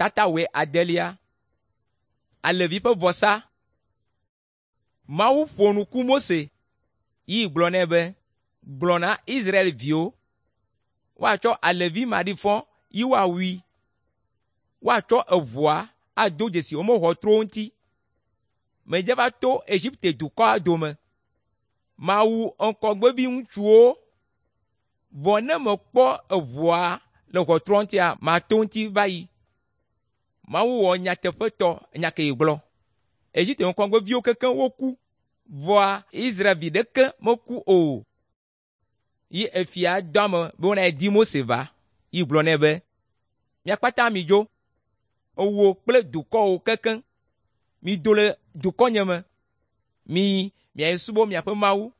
Tata 9. Alẽvi ƒe vɔsa. Mawu ƒo nu ku Mose yi gblɔ nɛ be, “Gblɔ na Israelviwo woatsɔ alẽvi maɖifɔ yi woawui. Woatsɔ eʋua ado dzesi woƒe ʋɔtruwo ŋuti. Medze va to Egipte dukɔa dome. Mawu ŋgɔgbevi ŋutsuwo. Vɔ ne mekpɔ eʋua le ʋɔtrua ŋutia, mato eŋuti va yi.” Mawu wɔ nyateƒetɔ nya ke gblɔ. Egipte ŋgɔgbeviwo kekeŋ woku, vɔa Israelvi ɖeke meku o. Yi efia dɔ ame be wonayi di Mose va, yi gblɔ nɛ be, “Mia kpata midzo, wò kple dukɔwò kekeŋ. Mido le dukɔnye me. Miyi miayi subɔ miaƒe Mawu.